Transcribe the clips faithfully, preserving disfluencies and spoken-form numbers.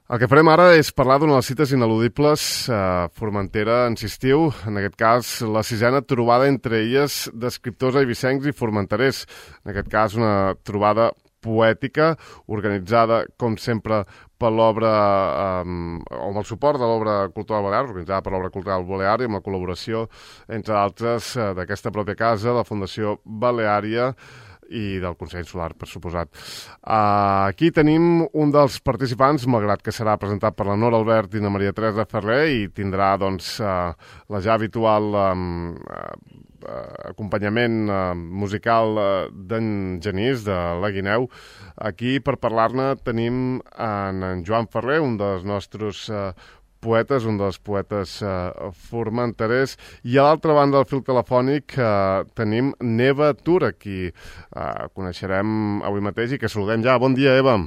El que farem ara és parlar d'una de les cites ineludibles a Formentera en estiu, en aquest cas la sisena trobada entre illes d'escriptors eivissencs i formenterers. En aquest cas una trobada poètica organitzada, com sempre, per l'obra, eh, o amb el suport de l'obra cultural balear, organitzada per l'obra cultural balear i amb la col·laboració, entre altres, eh, d'aquesta pròpia casa, la Fundació Baleària, i del Consell Insular, per suposat. Uh, aquí tenim un dels participants, malgrat que serà presentat per la Nora Albert i la Maria Teresa Ferrer, i tindrà doncs, uh, la ja habitual um, uh, acompanyament uh, musical uh, d'en Genís, de la Guineu. Aquí, per parlar-ne, tenim en, en Joan Ferrer, un dels nostres uh, poetes, un dels poetes eh, formenterers, i a l'altra banda del fil telefònic eh, tenim Eva Tur, qui eh, coneixerem avui mateix i que saludem ja. Bon dia, Eva.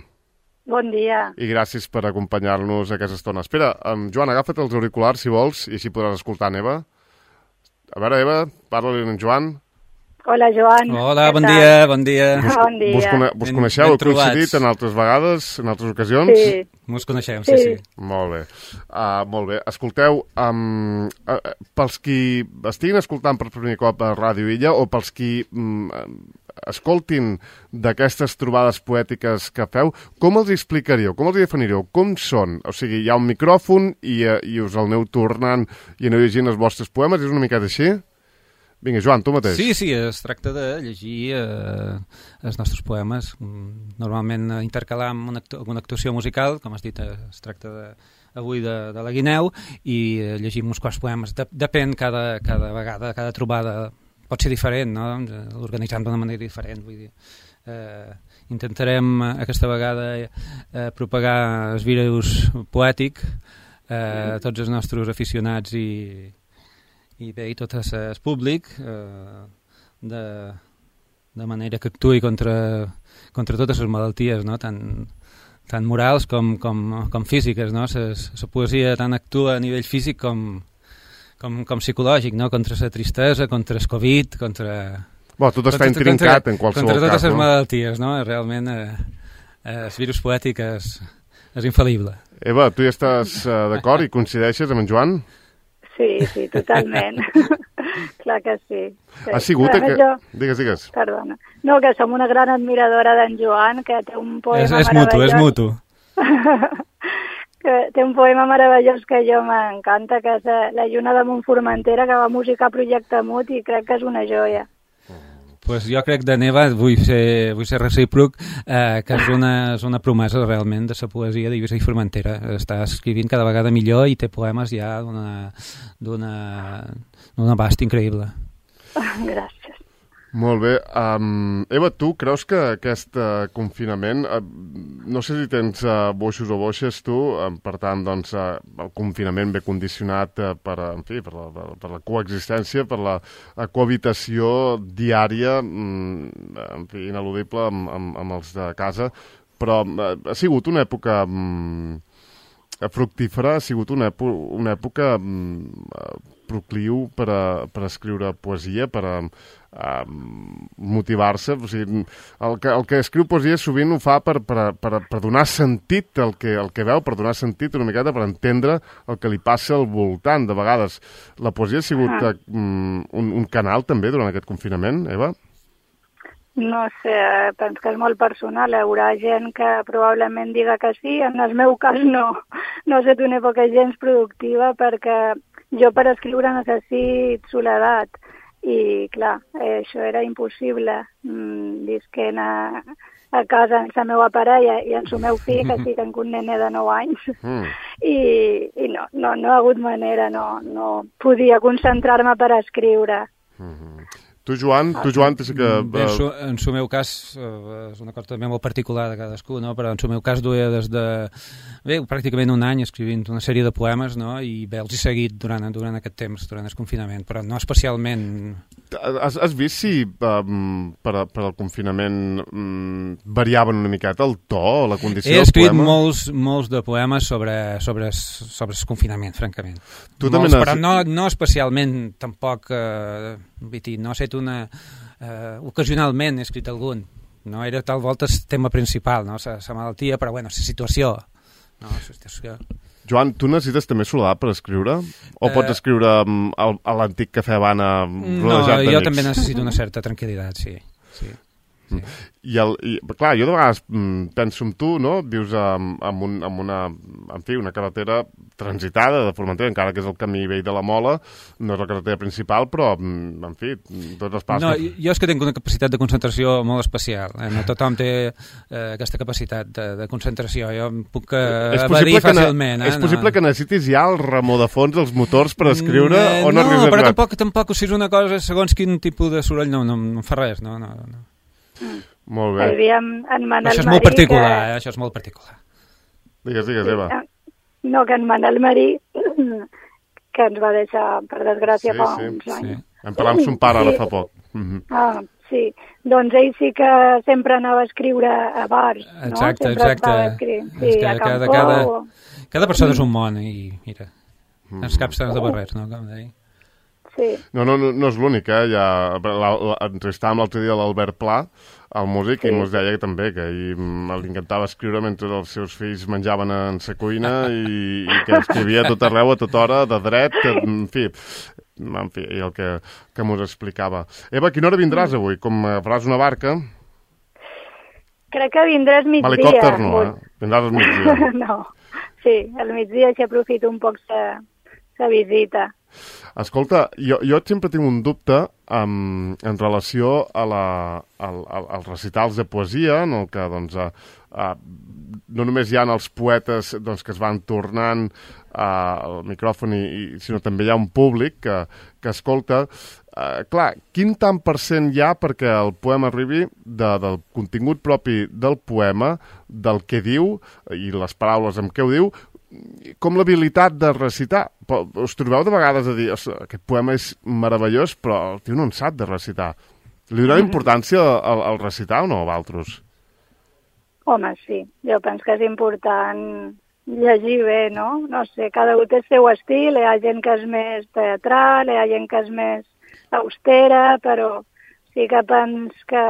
Bon dia. I gràcies per acompanyar-nos aquesta estona. Espera, um, Joan, agafa't els auriculars, si vols, i així podràs escoltar en Eva. A veure, Eva, parla-li en Joan. Hola, Joan. Hola, bon dia, bon dia. Vos, bon dia. Vos, cone vos coneixeu? Heu coincidit en altres vegades, en altres ocasions? Sí. Mos coneixem, sí, sí. sí. Molt bé. Uh, molt bé. Escolteu, um, uh, pels qui estiguin escoltant per primer cop a Ràdio Illa o pels qui um, escoltin d'aquestes trobades poètiques que feu, com els explicaríeu, com els definiríeu, com són? O sigui, hi ha un micròfon i, uh, i us el aneu tornant i aneu llegint els vostres poemes, és una miqueta així? Vinga, Joan, tu mateix. Sí, sí, es tracta de llegir eh, els nostres poemes, normalment intercalar amb una, actu una actuació musical, com has dit, es tracta de, avui de, de la Guineu, i eh, llegim uns quants poemes. De Depèn cada, cada vegada, cada trobada pot ser diferent, no? L'organitzem d'una manera diferent, vull dir. Eh, intentarem aquesta vegada eh, propagar el virus poètic eh, a tots els nostres aficionats i i bé, i tot el públic, eh, de, de manera que actuï contra, contra totes les malalties, no? tant, tant morals com, com, com físiques. No? La poesia tant actua a nivell físic com, com, com psicològic, no? Contra la tristesa, contra el Covid, contra... Bueno, tot està intrincat en qualsevol cas. Contra totes les no? malalties, no? Realment eh, eh, el virus poètic és, és infal·lible. Eva, tu hi estàs uh, d'acord i coincideixes amb en Joan? Sí, sí, totalment. Clar que sí. sí. Ha sigut... Que... Jo... Digues, digues. Perdona. No, que som una gran admiradora d'en Joan, que té un poema és, és meravellós. És mutu, és mutu. Que té un poema meravellós que jo m'encanta, que és La lluna de Montformentera, que va musicar Projecte Mut, i crec que és una joia. Pues jo crec de Neva, vull ser, vull ser recíproc, eh, que és una, és una promesa realment de la poesia d'Eivissa i Formentera. Està escrivint cada vegada millor i té poemes ja d'un abast increïble. Gràcies. Molt bé. Um, Eva, tu creus que aquest uh, confinament, uh, no sé si tens uh, boixos o boixes tu, uh, per tant, doncs, uh, el confinament ve condicionat uh, per, en fi, per, la, per la coexistència, per la cohabitació diària, um, en fi, ineludible amb, amb, amb els de casa, però uh, ha sigut una època um, fructífera, ha sigut una, èpo una època um, procliu per, a, per a escriure poesia, per a Uh, motivar-se. O sigui, el, que, el que escriu poesia sovint ho fa per, per, per, per donar sentit al que, al que veu, per donar sentit una miqueta, per entendre el que li passa al voltant. De vegades la poesia ha sigut uh, un, un canal també durant aquest confinament, Eva? No sé, penso que és molt personal. Hi haurà gent que probablement diga que sí. En el meu cas no. No ha estat una època gens productiva perquè jo per escriure necessit soledat. I, clar, eh, això era impossible. Mm, visquent a, a casa amb la meva parella i amb el meu fill, que sí, tenc un nene de nou anys. Mm. I, i no, no, no ha hagut manera, no, no podia concentrar-me per escriure. Mm-hmm. Tu, Joan, tu, Joan, sí que... Bé, en, su, en el meu cas, eh, és una cosa també molt particular de cadascú, no? Però en el meu cas duia des de... Bé, pràcticament un any escrivint una sèrie de poemes, no? I bé, els he seguit durant, durant aquest temps, durant el confinament, però no especialment... Has, has vist si um, per, a, per al confinament um, variaven una miqueta el to o la condició del poema? He escrit molts, molts de poemes sobre, sobre, sobre el confinament, francament. Tu molts, has... Però no, no especialment, tampoc... Eh, no ha estat una... Eh, ocasionalment he escrit algun. No era tal volta el tema principal, no? La malaltia, però bueno, la situació no, hòstia, Joan, tu necessites també soledat per escriure? O uh, pots escriure um, a, a l'antic cafè Habana rodejat d'amics? No, jo també necessito una certa tranquil·litat, sí. sí. Sí. I, el, i clar, jo de vegades mm, penso en tu, no? Vius amb, amb, un, amb una, en fi, una carretera transitada de Formentera, encara que és el camí vell de la Mola, no és la carretera principal, però, mm, en fi, tots els passos... No, jo és que tinc una capacitat de concentració molt especial. Eh? No tothom té eh, aquesta capacitat de, de concentració. Jo em puc eh, evadir fàcilment. Eh? És possible no. que necessitis ja el remor de fons, els motors per escriure, eh, o no? No, però tampoc, tampoc, si és una cosa, segons quin tipus de soroll, no, no, no em fa res, no, no, no. Mm. Molt bé. En Manel això és Marí, molt particular, que... eh? Això és molt particular. Digues, digues, Eva. No, que en Manel Marí, que ens va deixar, per desgràcia, sí, fa sí, uns anys. Sí. Em parlar amb son pare ara sí. fa poc. Mm-hmm. Ah, sí. Doncs ell sí que sempre anava a escriure a bars, no? Exacte, sempre exacte. Sí, que a cada, Campó. cada, cada persona és un món i, mira, mm. els caps de barrers, no? Com deia. Sí. No, no, no, no és l'únic, eh? Ja, la, la, entrevistàvem l'altre dia l'Albert Pla, el músic, sí. i ens deia que també, que ell li encantava escriure mentre els seus fills menjaven en sa cuina i, i que escrivia a tot arreu, a tota hora, de dret, que, en fi, en fi, el que, que mos explicava. Eva, a quina hora vindràs avui? Com faràs una barca? Crec que vindràs migdia. Helicòpter no, eh? Vindràs al migdia. No, sí, al migdia així aprofito un poc la visita. Escolta, jo, jo sempre tinc un dubte um, en relació a la, al, al, als recitals de poesia, en el que doncs, a, a, no només hi ha els poetes doncs, que es van tornant uh, al micròfon, i, i, sinó també hi ha un públic que, que escolta. Uh, clar, quin tant per cent hi ha perquè el poema arribi de, del contingut propi del poema, del que diu i les paraules amb què ho diu, com l'habilitat de recitar? Us trobeu de vegades a dir, aquest poema és meravellós, però el tio no en sap de recitar. Li doneu importància al, al recitar o no, a Valtros? Home, sí. Jo penso que és important llegir bé, no? No sé, cada un té el seu estil, hi ha gent que és més teatral, hi ha gent que és més austera, però sí que penso que,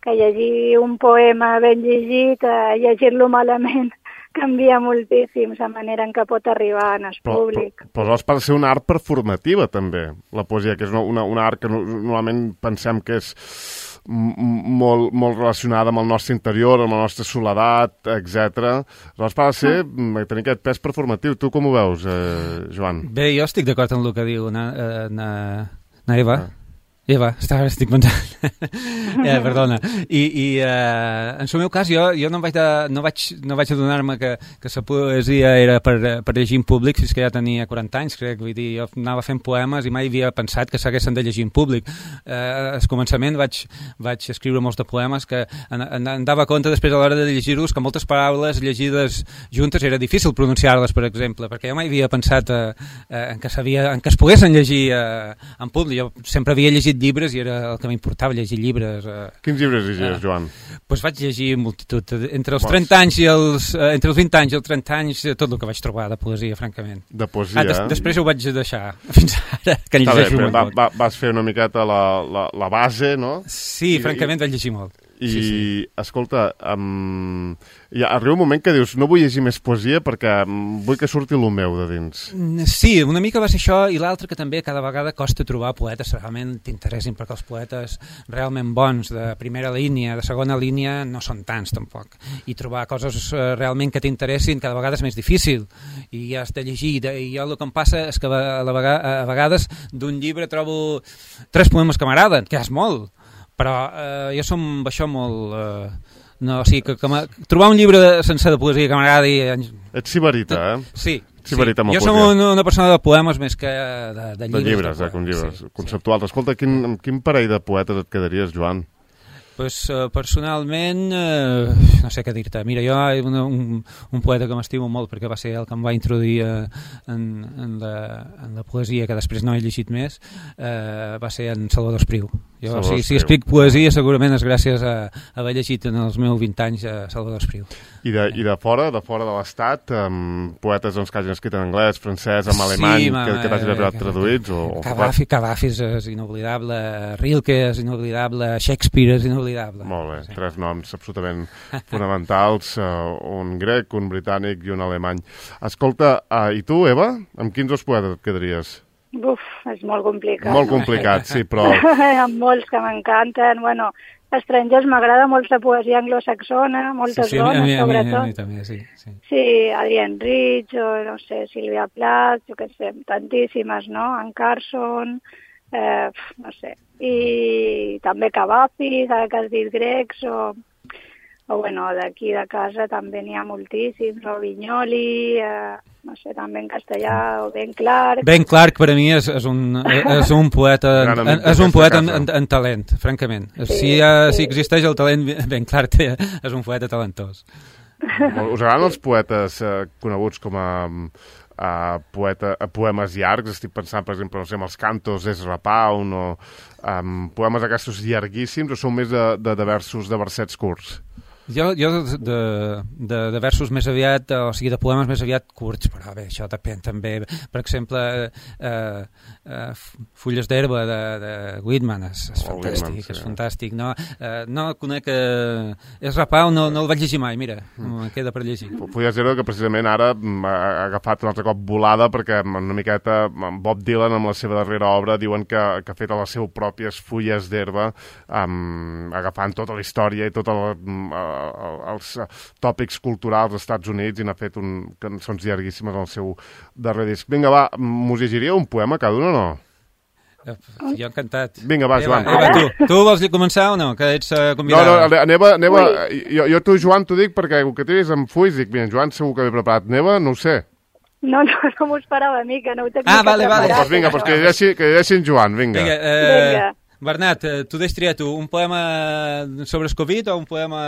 que llegir un poema ben llegit, eh, llegir-lo malament, canvia moltíssim la manera en què pot arribar en el però, públic. Però, però aleshores pot ser una art performativa, també, la poesia, que és una, una, una art que no, normalment pensem que és molt, molt relacionada amb el nostre interior, amb la nostra soledat, etcètera. Aleshores pot ser mm. tenir aquest pes performatiu. Tu com ho veus, eh, Joan? Bé, jo estic d'acord amb el que diu na, na, na Eva. Ah. Eva, està, estic pensant. eh, perdona. I, i eh, en el meu cas, jo, jo no vaig, de, no vaig, no vaig adonar-me que, que la poesia era per, per llegir en públic fins que ja tenia quaranta anys, crec. Vull dir, jo anava fent poemes i mai havia pensat que s'haguessin de llegir en públic. Eh, al començament vaig, vaig escriure molts de poemes que en, en, en dava compte després a l'hora de llegir-los que moltes paraules llegides juntes era difícil pronunciar-les, per exemple, perquè jo mai havia pensat eh, eh, en, que sabia, en que es poguessin llegir eh, en públic. Jo sempre havia llegit llibres i era el que m'importava, llegir llibres. Eh. Quins llibres llegies, eh, Joan? Doncs pues vaig llegir multitud. Entre els trenta anys i els... Eh, entre els vint anys i els trenta anys, tot el que vaig trobar de poesia, francament. De poesia? Ah, des, després ho vaig deixar fins ara, que en llegeixo molt. Va, va, vas fer una miqueta la, la, la base, no? Sí, I, francament i... vaig llegir molt. I, sí, sí. escolta, um, ja arriba un moment que dius, no vull llegir més poesia perquè vull que surti el meu de dins. Sí, una mica va ser això, i l'altre que també cada vegada costa trobar poetes que realment t'interessin, perquè els poetes realment bons, de primera línia, de segona línia, no són tants tampoc. I trobar coses realment que t'interessin cada vegada és més difícil, i has de llegir. I jo el que em passa és que a, la vegada, a vegades d'un llibre trobo tres poemes que m'agraden, que és molt, però eh, jo som això molt... Eh, no, o sigui, que, que trobar un llibre de, sense de poesia que m'agradi... Ets sibarita, eh? Sí. Sí, sí. Jo som una, una persona de poemes més que de, de llibres. De llibres, de, eh, com llibres, sí, conceptuals. Sí. Escolta, quin, amb quin parell de poetes et quedaries, Joan? Pues, uh, personalment, uh, no sé què dir-te. Mira, jo hi ha un, un, un poeta que m'estimo molt perquè va ser el que em va introduir uh, en, en, la, en la poesia, que després no he llegit més, uh, va ser en Salvador Espriu. Jo, Salvador si, si escric poesia, segurament és gràcies a, a haver llegit en els meus vint anys a Salvador Espriu. I de, i de fora, de fora de l'Estat, um, poetes doncs, que hagin escrit en anglès, francès, en alemany, sí, que, que t'hagin arribat traduïts? O, Cavafi, Cavafi és inoblidable, Rilke és inoblidable, Shakespeare és inoblidable, invalidable. Molt bé, sí. Tres noms absolutament fonamentals, uh, un grec, un britànic i un alemany. Escolta, uh, i tu, Eva, amb quins dos poetes et quedaries? Buf, és molt complicat. Molt complicat, sí, però... Amb molts que m'encanten, bueno... Estrangers m'agrada molt la poesia anglosaxona, moltes sí, sí, dones, a mi, a mi, sobretot. A mi també, sí. Sí, sí Adrienne Rich, o no sé, Sílvia Plath, jo què sé, tantíssimes, no? En Carson, eh, no sé. I també Cavafis, ara que has dit grecs, o, o bueno, d'aquí de casa també n'hi ha moltíssims, o Vinyoli, eh, no sé, també en castellà, o Ben Clark. Ben Clark per a mi és, és, un, és un poeta, en, és un poeta en, en, en talent, francament. Sí, si, uh, sí. si existeix el talent, Ben Clark té, és un poeta talentós. Us agraden els poetes eh, coneguts com a, a, poeta, a poemes llargs? Estic pensant, per exemple, no sé, en els cantos d'Ezra Pound o um, poemes aquests llarguíssims, o són més de, de, de versos, de versets curts? Jo, jo de, de, de versos més aviat, o sigui, de poemes més aviat curts, però bé, això depèn també. Per exemple, eh, eh, Fulles d'herba de, de Whitman és, és oh, fantàstic, Whitman, sí. és fantàstic. No, eh, no conec... Eh, és Rapau, no, no el vaig llegir mai, mira, mm. queda per llegir. Fulles d'herba que precisament ara ha agafat un altre cop volada, perquè una miqueta Bob Dylan amb la seva darrera obra diuen que, que ha fet a les seves pròpies fulles d'herba, um, agafant tota la història i tota la... Um, els tòpics culturals dels Estats Units i n'ha fet un, cançons llarguíssimes al seu darrer disc. Vinga, va, m'us llegiria un poema cada un o no? Jo encantat. Vinga, va, Eva, Joan. Eva, tu, tu vols començar o no? Que ets uh, convidada. No, no, Neva, Neva jo, jo tu, Joan, t'ho dic perquè el que tens amb fulls, dic, mira, Joan segur que ve preparat. Neva, no ho sé. No, no, no m'ho esperava a mi, que no ho tenia ah, vale, vale. Doncs pues vinga, pues que llegeixi, que llegeixi en Joan, vinga. Vinga, eh... vinga. Bernat, tu deix triar tu, un poema sobre el Covid o un poema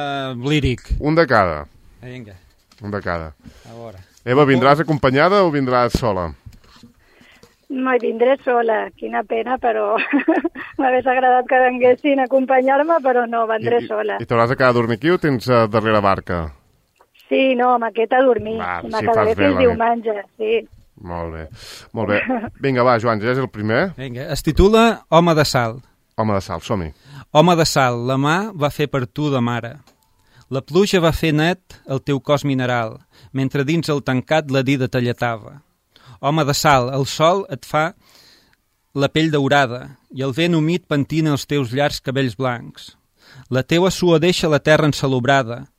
líric? Un de cada. Vinga. Un de cada. A veure. Eva, vindràs acompanyada o vindràs sola? No, hi vindré sola. Quina pena, però m'hagués agradat que venguessin a acompanyar-me, però no, vendré I, sola. I, i t'hauràs de quedar a dormir aquí o tens uh, darrere barca? Sí, no, m'aquest a dormir. Va, I m'acabaré sí, fins diumenge, sí. Molt bé, molt bé. Vinga, va, Joan, ja és el primer. Vinga, es titula Home de sal. Home de sal, som-hi. Home de sal, la mà va fer per tu de mare. La pluja va fer net el teu cos mineral, mentre dins el tancat la dida talletava. Home de sal, el sol et fa la pell daurada i el vent humit pentina els teus llargs cabells blancs. La teua suor deixa la terra ensalobrada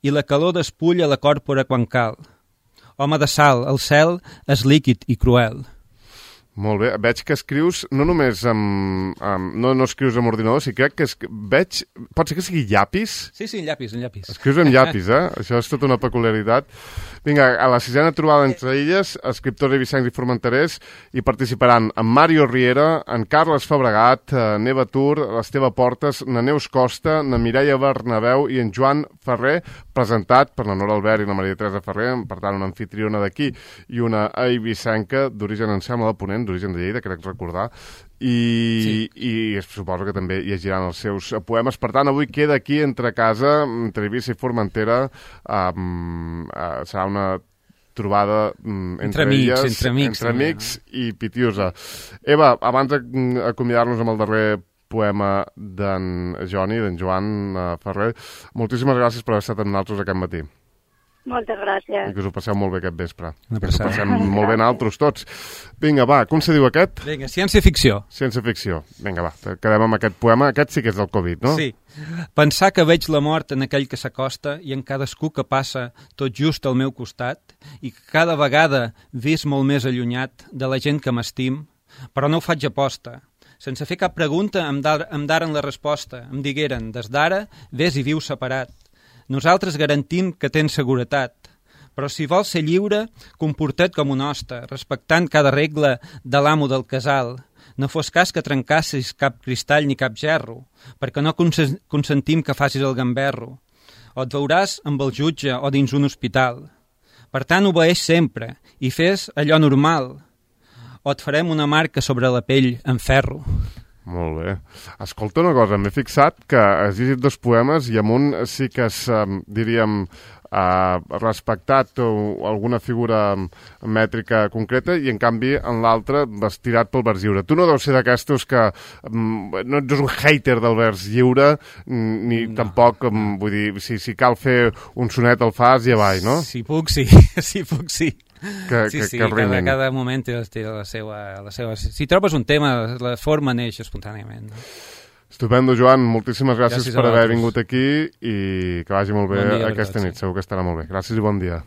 i la calor despulla la còrpora quan cal. Home de sal, el cel és líquid i cruel. Molt bé, veig que escrius no només amb... amb no, no escrius amb ordinador, sí, crec que es, veig... Pot ser que sigui llapis? Sí, sí, llapis, en llapis. Escrius amb llapis, eh? Això és tota una peculiaritat. Vinga, a la sisena trobada entre illes, escriptors eivissencs i formenterers, hi participaran en Mario Riera, en Carles Fabregat, Neva Tur, l'Esteve Portes, na Neus Costa, na Mireia Bernabeu i en Joan Ferrer, presentat per la Nora Albert i la Maria Teresa Ferrer, per tant, una anfitriona d'aquí i una eivissenca d'origen, em sembla, de Ponent, d'origen de Lleida, crec recordar, i, sí. i suposo que també llegiran els seus poemes. Per tant, avui queda aquí entre casa, entre Eivissa i Formentera, um, uh, serà una trobada um, entre, entre amics, elles, entre amics, entre amics no? I pitiosa. Eva, abans d'acomiadar-nos amb el darrer poema d'en Joni, d'en Joan uh, Ferrer, moltíssimes gràcies per haver estat amb nosaltres aquest matí. Moltes gràcies. I que us ho passeu molt bé aquest vespre. Una que us ho passem molt bé nosaltres tots. Vinga, va, com se diu aquest? Vinga, ciència-ficció. Ciència-ficció. Vinga, va, quedem amb aquest poema. Aquest sí que és del Covid, no? Sí. Pensar que veig la mort en aquell que s'acosta i en cadascú que passa tot just al meu costat i que cada vegada vis molt més allunyat de la gent que m'estim, però no ho faig aposta. Sense fer cap pregunta em, dar, em daren la resposta. Em digueren, des d'ara, ves i viu separat. Nosaltres garantim que tens seguretat, però si vols ser lliure, comporta't com un hoste, respectant cada regla de l'amo del casal. No fos cas que trencassis cap cristall ni cap gerro, perquè no cons- consentim que facis el gamberro. O et veuràs amb el jutge o dins un hospital. Per tant, obeeix sempre i fes allò normal, o et farem una marca sobre la pell en ferro. Molt bé. Escolta una cosa, m'he fixat que has llegit dos poemes i amb un sí que és, um, diríem, uh, respectat o alguna figura mètrica concreta i, en canvi, en l'altre vas tirat pel vers lliure. Tu no deus ser d'aquestos que um, no ets un hater del vers lliure, ni no, tampoc, um, vull dir, si, si cal fer un sonet el fas i avall, no? Si puc, sí. Si puc, sí. Que, sí, que, sí, que cada, cada moment té, té la, seva, la seva... Si trobes un tema, la forma neix espontàniament. No? Estupendo, Joan. Moltíssimes gràcies, gràcies per haver vingut aquí i que vagi molt bé bon dia, aquesta nit. Segur que estarà molt bé. Gràcies i bon dia.